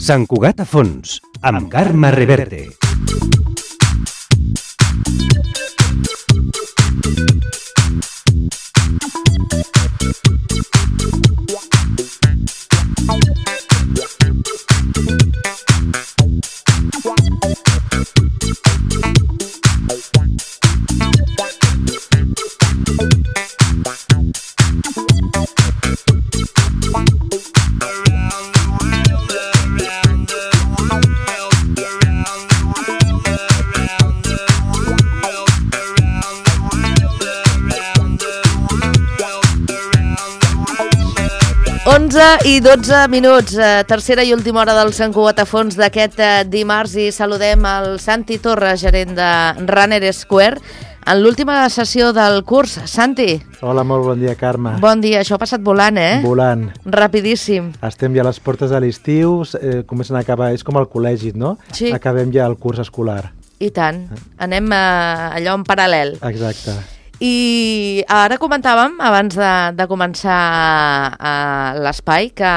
Sant Cugat a fons, amb Carme Reverte. I 12 minuts, tercera i última hora del Sant Cugat a fons d'aquest dimarts i saludem el Santi Torres, gerent de Runner Square, en l'última sessió del curs. Santi. Hola, molt bon dia, Carme. Bon dia, això ha passat volant, eh? Volant. Rapidíssim. Estem ja a les portes de l'estiu, comencen a acabar, és com el col·legi, no? Sí. Acabem ja el curs escolar. I tant, anem allò en paral·lel. Exacte. I ara comentàvem, abans de començar l'espai, que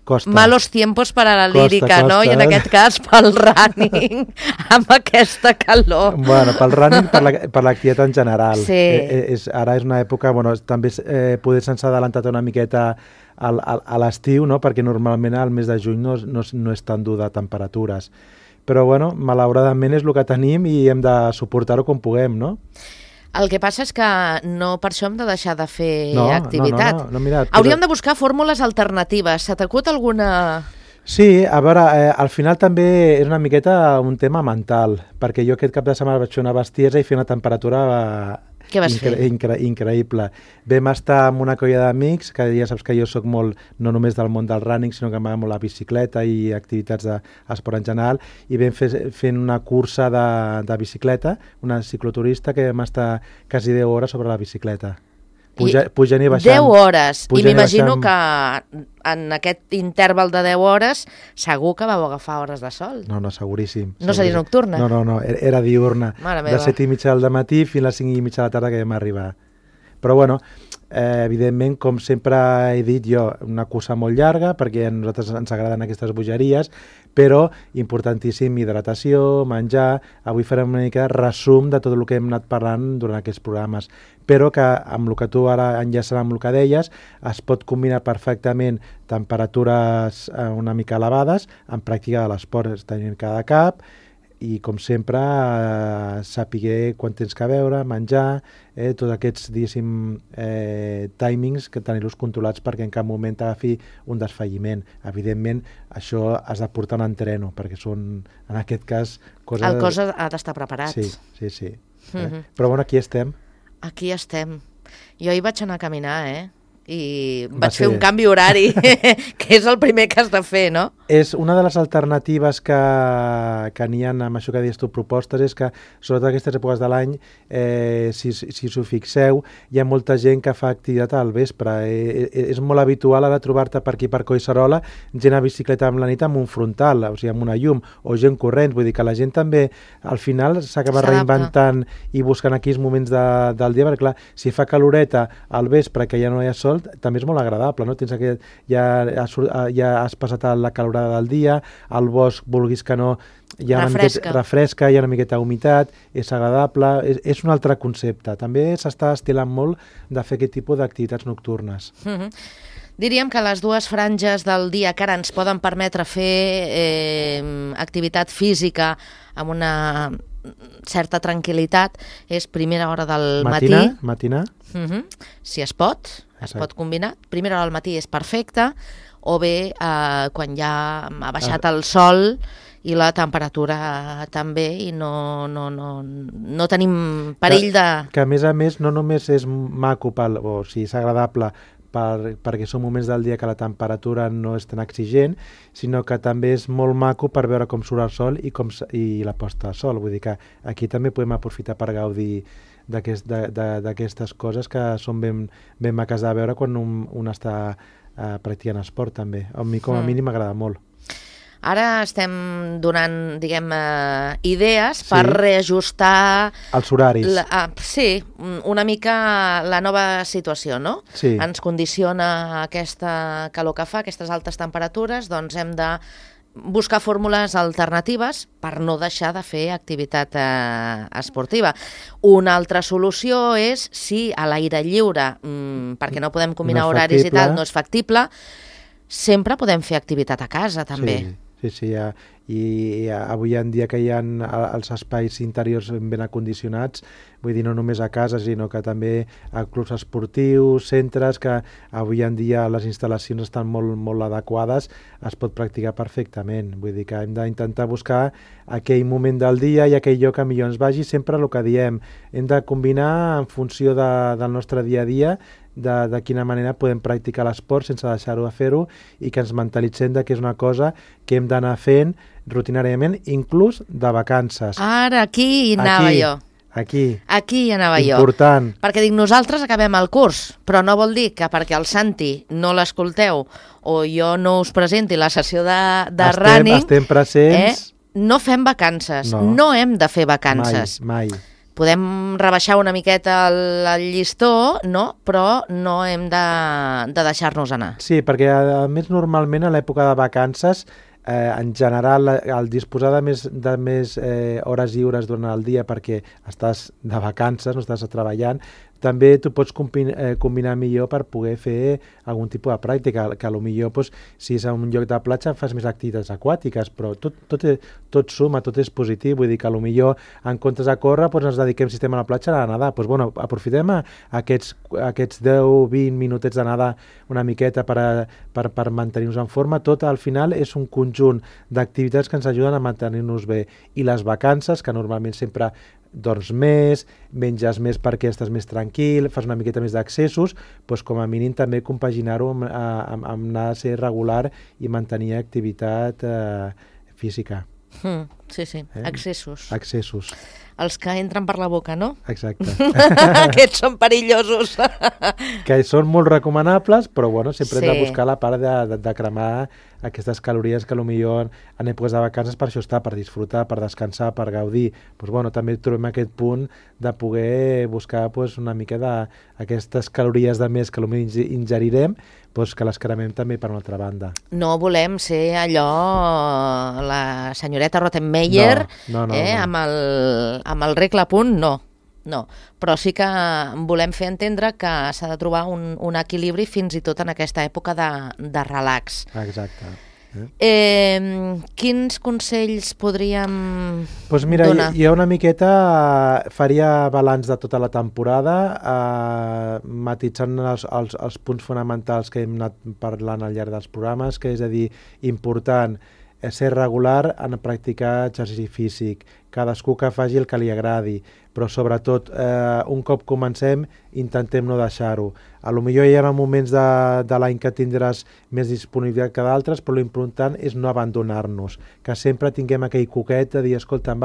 Costa. Malos tiempos para la lírica, costa, no? I en aquest cas pel running, amb aquesta calor. Bueno, pel running, per l'activitat en general. Sí. Ara és una època, bueno, també poder se'ns ha adelantat una miqueta a l'estiu, no? Perquè normalment al mes de juny no és tan dur de temperatures. Però, bueno, malauradament és el que tenim i hem de suportar-ho com puguem, no? El que passa és que no per això hem de deixar de fer activitat. No, mira, hauríem de buscar fórmules alternatives. Se t'acut alguna...? Sí, a veure, al final també és una miqueta un tema mental, perquè jo aquest cap de setmana vaig fer una bestiesa i fer una temperatura Què vas fer? Increïble. Vam estar amb una colla d'amics, que ja saps que jo sóc molt, no només del món del running, sinó que m'agrada molt la bicicleta i activitats d'esport en general, i vam fent una cursa de bicicleta, una cicloturista que vam estar quasi 10 hores sobre la bicicleta. Pujant i baixant. 10 hores. I m'imagino que en aquest interval de 10 hores segur que vau agafar hores de sol. No, seguríssim. No seria nocturna? No, era diurna. De 7:30 del matí fins a les 5:30 de la tarda que vam arribar. Però bueno, evidentment, com sempre he dit jo, una cursa molt llarga, perquè a nosaltres ens agraden aquestes bogeries, però importantíssim hidratació, menjar. Avui farem una mica de resum de tot el que hem anat parlant durant aquests programes, però que amb el que tu ara enllaçant amb el que deies, es pot combinar perfectament temperatures una mica elevades amb pràctica de l'esport, tenint cada cap, i com sempre saber quan tens que beure, menjar, tots aquests, diguéssim, timings que tenir-los controlats perquè en cap moment t'agafi un desfalliment. Evidentment, això has de portar un entreno, perquè són, en aquest cas, coses... El cos ha d'estar preparat. Sí. Però bueno, aquí estem. Aquí estem. Jo hi vaig anar a caminar, i vaig fer un canvi horari, que és el primer que has de fer, no? És una de les alternatives que n'hi ha amb això que deies tu, propostes, és que, sobretot aquestes èpoques de l'any, si us ho fixeu, hi ha molta gent que fa activitat al vespre. És molt habitual ara trobar-te per aquí, per Collserola, gent a bicicleta amb la nit amb un frontal, o sigui, amb una llum, o gent corrents. Vull dir que la gent també, al final, s'acaba reinventant i buscant aquells moments del dia, perquè, clar, si fa caloreta al vespre, que ja no hi ha sol, també és molt agradable, no? Tens aquest, ja has passat la calorada del dia, al bosc, vulguis que no, refresca, hi ha una miqueta d'humitat, és agradable, és un altre concepte. També s'està estilant molt de fer aquest tipus d'activitats nocturnes. Diríem que les dues franges del dia que ara ens poden permetre fer activitat física amb una certa tranquil·litat és primera hora del matí. Matinar. Si es pot combinar. Primera hora del matí és perfecte, o bé quan ja ha baixat el sol i la temperatura també, i no tenim perill de... Que a més no només és maco, o sigui, és agradable perquè són moments del dia que la temperatura no és tan exigent, sinó que també és molt maco per veure com surt el sol i la posta de sol. Vull dir que aquí també podem aprofitar per gaudir d'aquestes coses que són ben maques de veure quan un està practicant esport també. A mi com a mínim m'agrada molt. Ara estem donant, diguem, idees per reajustar... Els horaris. Sí, una mica la nova situació, no? Sí. Ens condiciona aquesta calor que fa, aquestes altes temperatures, doncs hem de buscar fórmules alternatives per no deixar de fer activitat esportiva. Una altra solució és, si a l'aire lliure, perquè no podem combinar horaris i tal, no és factible, sempre podem fer activitat a casa, també. Sí, i avui en dia que hi ha els espais interiors ben acondicionats, vull dir, no només a casa, sinó que també a clubs esportius, centres, que avui en dia les instal·lacions estan molt adequades, es pot practicar perfectament. Vull dir que hem d'intentar buscar aquell moment del dia i aquell lloc que millor ens vagi, sempre el que diem. Hem de combinar en funció del nostre dia a dia, de quina manera podem practicar l'esport sense deixar-ho de fer-ho i que ens mentalitzem que és una cosa que hem d'anar fent rutinàriament, inclús de vacances. Ara, aquí hi anava jo. Aquí hi anava jo. Important. Perquè dic, nosaltres acabem el curs, però no vol dir que perquè el Santi no l'escolteu o jo no us presenti la sessió de running... Estem presents... No fem vacances, no hem de fer vacances. Mai. Podem rebaixar una miqueta el llistó, no? Però no hem de deixar-nos anar. Sí, perquè a més normalment a l'època de vacances, en general, el disposar de més hores lliures durant el dia perquè estàs de vacances, no estàs treballant, també tu pots combinar millor per poder fer algun tipus de pràctica, que potser si és a un lloc de platja fas més activitats aquàtiques, però tot suma, tot és positiu, vull dir que potser en comptes de córrer ens dediquem, si estem a la platja, a nedar. Aprofitem aquests 10-20 minutets de nedar una miqueta per mantenir-nos en forma. Tot al final és un conjunt d'activitats que ens ajuden a mantenir-nos bé. I les vacances, que normalment sempre dorms més, menges més perquè estàs més tranquil, fas una miqueta més d'accessos, doncs com a mínim també compaginar-ho amb anar a ser regular i mantenir activitat física. Sí, accessos. Accessos. Els que entren per la boca, no? Exacte. Aquests són perillosos. Que són molt recomanables, però sempre hem de buscar la part de cremar aquestes calories que potser en èpoques de vacances per això està, per disfrutar, per descansar, per gaudir. També trobem aquest punt de poder buscar una mica d'aquestes calories de més que potser ingerirem, que les cremem també per una altra banda. No volem ser allò, la senyoreta Rottenmeier, no. amb el regle a punt, no. Però sí que volem fer entendre que s'ha de trobar un equilibri fins i tot en aquesta època de relax. Exacte. Quins consells podríem mira, donar? Jo una miqueta faria balanç de tota la temporada, matitzant els punts fonamentals que hem anat parlant al llarg dels programes, que és a dir, important ser regular en practicar exercici físic, cadascú que faci el que li agradi, però sobretot un cop comencem intentem no deixar-ho. Potser hi ha moments de l'any que tindràs més disponibilitat que d'altres, però l'important és no abandonar-nos, que sempre tinguem aquell coquet de dir, escolta,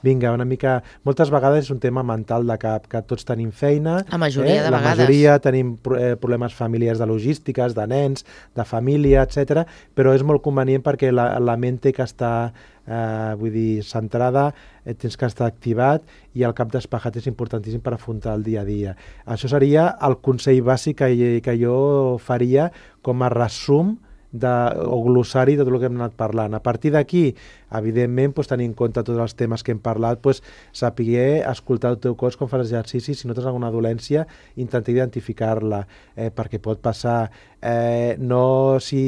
vinga, una mica... Moltes vegades és un tema mental de cap, que tots tenim feina. La majoria de vegades. La majoria tenim problemes familiars de logístiques, de nens, de família, etc. Però és molt convenient perquè la ment té que estar centrada, tens que estar activat i el cap despejat és importantíssim per afrontar el dia a dia. Això seria el consell bàsic que jo faria com a resum o glossari de tot el que hem anat parlant. A partir d'aquí, evidentment, tenir en compte tots els temes que hem parlat, saber escoltar el teu cos quan fas exercici, si notes alguna dolència, intentar identificar-la, perquè pot passar. Si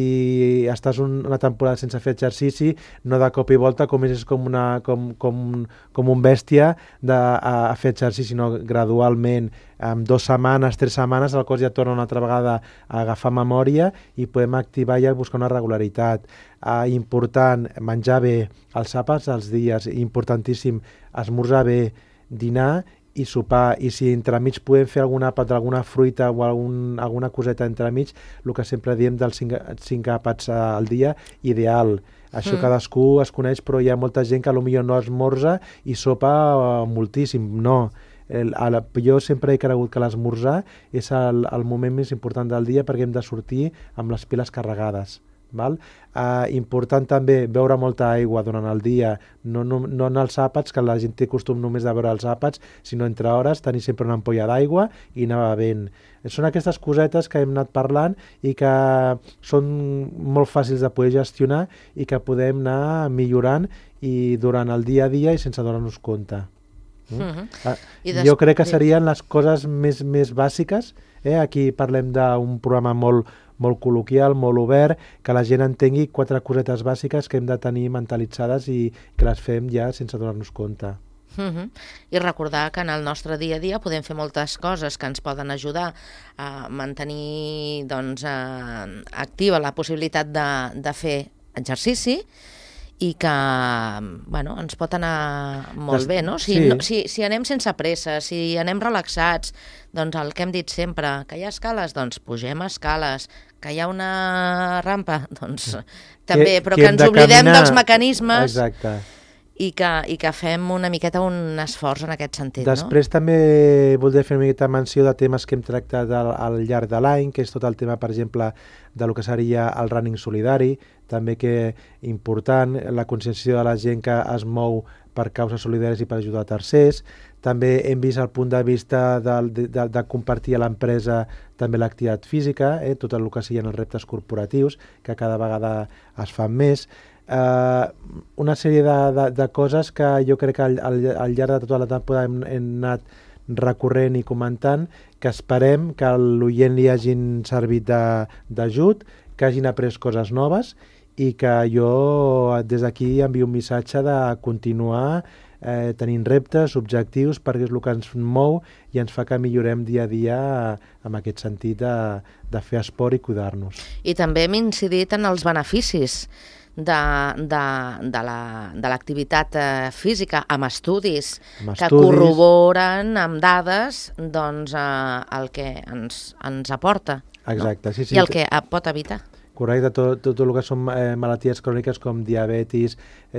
estàs una temporada sense fer exercici, no de cop i volta comences com un bèstia a fer exercici, sinó gradualment, en 2 setmanes, 3 setmanes, el cos ja torna una altra vegada a agafar memòria i podem activar i buscar una regularitat. Important, menjar bé, els àpats als dies, importantíssim, esmorzar bé, dinar i sopar, i si entremig podem fer algun àpat d'alguna fruita o alguna coseta entremig, el que sempre diem dels 5 àpats al dia, ideal. Això cadascú es coneix, però hi ha molta gent que potser no esmorza i sopa moltíssim. No, Jo sempre he cregut que l'esmorzar és el moment més important del dia perquè hem de sortir amb les piles carregades. Val? Important també beure molta aigua durant el dia, no en els àpats, que la gent té costum només de beure els àpats, sinó entre hores tenir sempre una ampolla d'aigua i anar bevent. Són aquestes cosetes que hem anat parlant i que són molt fàcils de poder gestionar i que podem anar millorant i durant el dia a dia i sense donar-nos compte. Jo crec que serien les coses més bàsiques. Aquí parlem d'un programa molt col·loquial, molt obert, que la gent entengui 4 cosetes bàsiques que hem de tenir mentalitzades i que les fem ja sense donar-nos compte. I recordar que en el nostre dia a dia podem fer moltes coses que ens poden ajudar a mantenir activa la possibilitat de fer exercici i que ens pot anar molt bé, no? Si anem sense pressa, si anem relaxats, doncs el que hem dit sempre, que hi ha escales, doncs pugem escales, que hi ha una rampa, doncs també, però que ens oblidem dels mecanismes. Exacte. I que fem una miqueta un esforç en aquest sentit. Després també voldria fer una miqueta menció de temes que hem tractat al llarg de l'any, que és tot el tema, per exemple, del que seria el running solidari, també que important, la conscienciació de la gent que es mou per causes solidàries i per ajudar a tercers. També hem vist el punt de vista de compartir a l'empresa també l'activitat física, tot el que siguin els reptes corporatius, que cada vegada es fan més. Una sèrie de coses que jo crec que al llarg de tota la temporada hem anat recorrent i comentant, que esperem que a l'oient li hagin servit d'ajut, que hagin après coses noves i que jo des d'aquí envio un missatge de continuar tenint reptes, objectius, perquè és el que ens mou i ens fa que millorem dia a dia en aquest sentit de fer esport i cuidar-nos. I també hem incidit en els beneficis de l'activitat física amb estudis que corroboren amb dades el que ens aporta. Exacte, sí. I el que pot evitar. Correcte, tot el que són malalties cròniques com diabetis,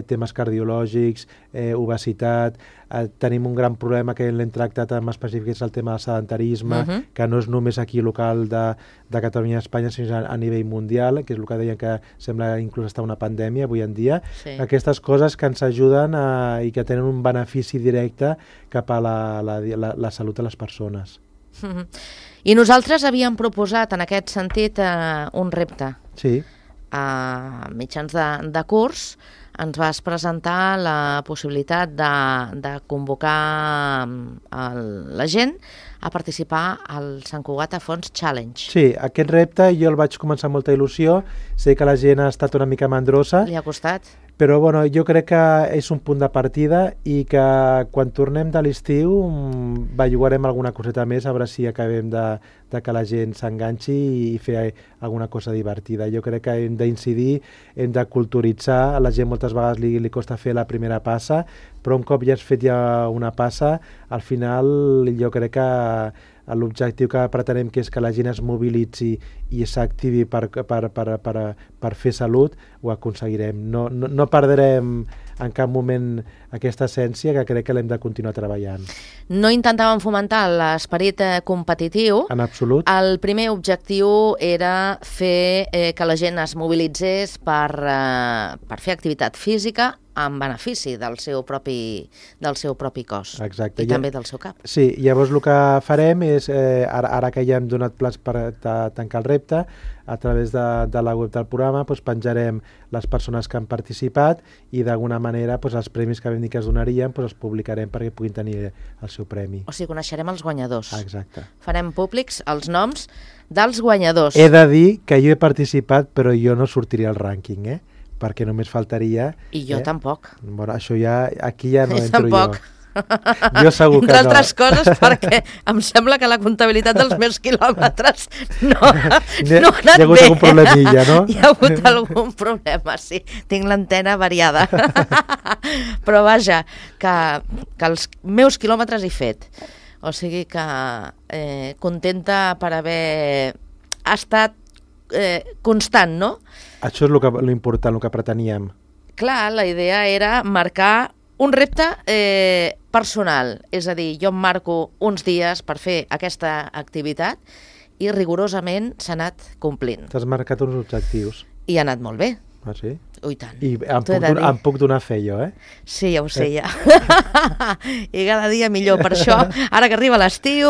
temes cardiològics, obesitat. Tenim un gran problema que l'hem tractat en específic, és el tema del sedentarisme, que no és només aquí local de Catalunya i Espanya, sinó a nivell mundial, que és el que deien que sembla inclús estar una pandèmia avui en dia. Sí. Aquestes coses que ens ajuden i que tenen un benefici directe cap a la salut de les persones. I nosaltres havíem proposat en aquest sentit un repte. Sí. A mitjans de curs ens vas presentar la possibilitat de convocar la gent a participar al Sant Cugat a Fons Challenge. Sí, aquest repte jo el vaig començar amb molta il·lusió, sé que la gent ha estat una mica mandrosa. Li ha costat. Però jo crec que és un punt de partida i que quan tornem de l'estiu bellugarem alguna coseta més, a veure si acabem de que la gent s'enganxi i fer alguna cosa divertida. Jo crec que hem d'incidir, hem de culturitzar, a la gent moltes vegades li costa fer la primera passa, però un cop ja has fet una passa, al final jo crec que l'objectiu que pretenem, que és que la gent es mobilitzi i s'activi per fer salut, ho aconseguirem. No perdrem en cap moment aquesta essència, que crec que l'hem de continuar treballant. No intentàvem fomentar l'esperit competitiu. En absolut. El primer objectiu era fer que la gent es mobilitzés per fer activitat física en benefici del seu propi cos. Exacte. I també del seu cap. Sí, llavors el que farem és, ara que ja hem donat plans per tancar el repte, a través de la web del programa penjarem les persones que han participat i d'alguna manera els premis que vam dir que es donarien els publicarem perquè puguin tenir el seu premi. O sigui, coneixerem els guanyadors. Exacte. Farem públics els noms dels guanyadors. He de dir que jo he participat, però jo no sortiria al rànquing, perquè només faltaria... I jo tampoc. Bueno, això ja, aquí ja no entro tampoc. Jo. Jo segur que no. Entre altres coses perquè em sembla que la comptabilitat dels meus quilòmetres no ha anat bé. Hi ha hagut algun problemilla, no? Hi ha hagut algun problema, sí. Tinc l'antena variada. Però vaja, que els meus quilòmetres he fet. O sigui que contenta per haver estat constant, no? Això és l'important, el que preteníem. Clar, la idea era marcar Un repte personal, és a dir, jo em marco uns dies per fer aquesta activitat i rigorosament s'ha anat complint. T'has marcat uns objectius. I ha anat molt bé. Ah, sí? Ui, tant. I em puc donar fe jo, Sí, ja ho sé, ja. I cada dia millor. Per això, ara que arriba l'estiu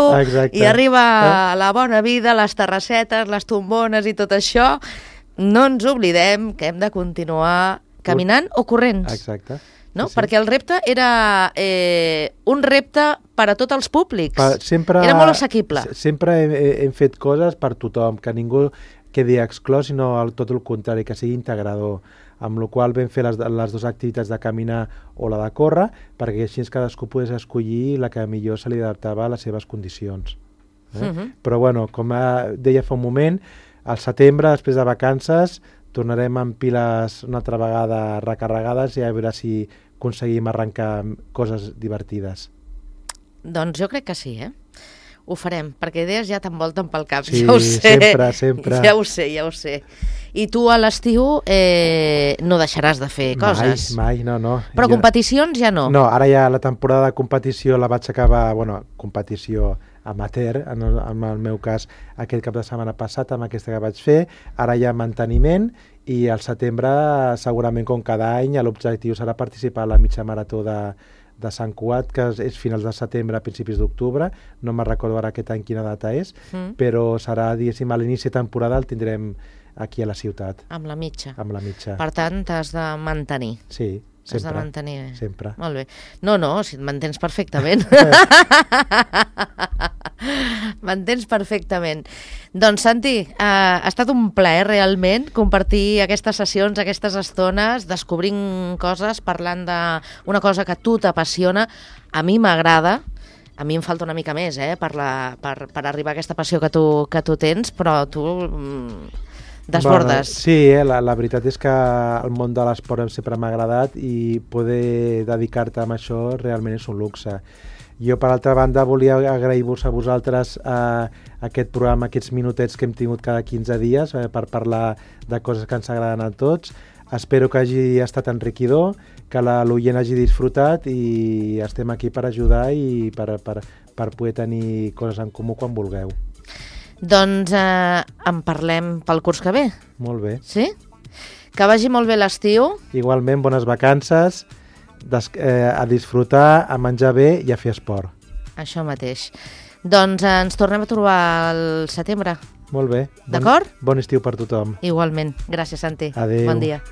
i arriba la bona vida, les terrassetes, les tombones i tot això, no ens oblidem que hem de continuar caminant o corrents. Exacte. No? Sí. Perquè el repte era un repte per a tots els públics. Era molt assequible. Sempre hem fet coses per tothom, que ningú quedi exclòs, sinó tot el contrari, que sigui integrador. Amb la qual vam fer les dues activitats de caminar o la de córrer, perquè així cadascú pogués escollir la que millor se li adaptava a les seves condicions. Però bueno, com deia fa un moment, al setembre, després de vacances, tornarem amb piles una altra vegada recarregades i a veure si aconseguim arrencar coses divertides. Doncs jo crec que sí, Ho farem, perquè idees ja t'envolten pel cap, sí, ja ho sé. Sempre. Ja ho sé. I tu a l'estiu no deixaràs de fer coses. Mai, no. Però competicions ja no? No, ara ja la temporada de competició la vaig acabar, competició amateur, en el meu cas aquest cap de setmana passat amb aquesta que vaig fer, ara hi ha manteniment i al setembre segurament com cada any l'objectiu serà participar a la mitja marató de Sant Cugat, que és finals de setembre a principis d'octubre, no me'n recordo ara aquest any quina data és, però serà, diguéssim, a l'inici de temporada el tindrem aquí a la ciutat. Amb la mitja. Amb la mitja. Per tant, t'has de mantenir. Sí. Sempre. Has de mantenir. Sempre. Molt bé. No, si et mantens perfectament. Mantens perfectament. Doncs, Santi, ha estat un plaer realment compartir aquestes sessions, aquestes estones, descobrint coses, parlant d'una cosa que a tu t'apassiona. A mi m'agrada, a mi em falta una mica més per arribar a aquesta passió que tu tens, però tu desbordes. Sí, la veritat és que el món de l'esport sempre m'ha agradat i poder dedicar-te a això realment és un luxe. Jo, per altra banda, volia agrair-vos a vosaltres aquest programa, aquests minutets que hem tingut cada 15 dies per parlar de coses que ens agraden a tots. Espero que hagi estat enriquidor, que l'oient hagi disfrutat i estem aquí per ajudar i per poder tenir coses en comú quan vulgueu. Doncs en parlem pel curs que ve. Molt bé. Sí? Que vagi molt bé l'estiu. Igualment, bones vacances, a disfrutar, a menjar bé i a fer esport. Això mateix. Doncs ens tornem a trobar al setembre. Molt bé. D'acord? Bon estiu per tothom. Igualment. Gràcies, Santi. Adéu. Bon dia.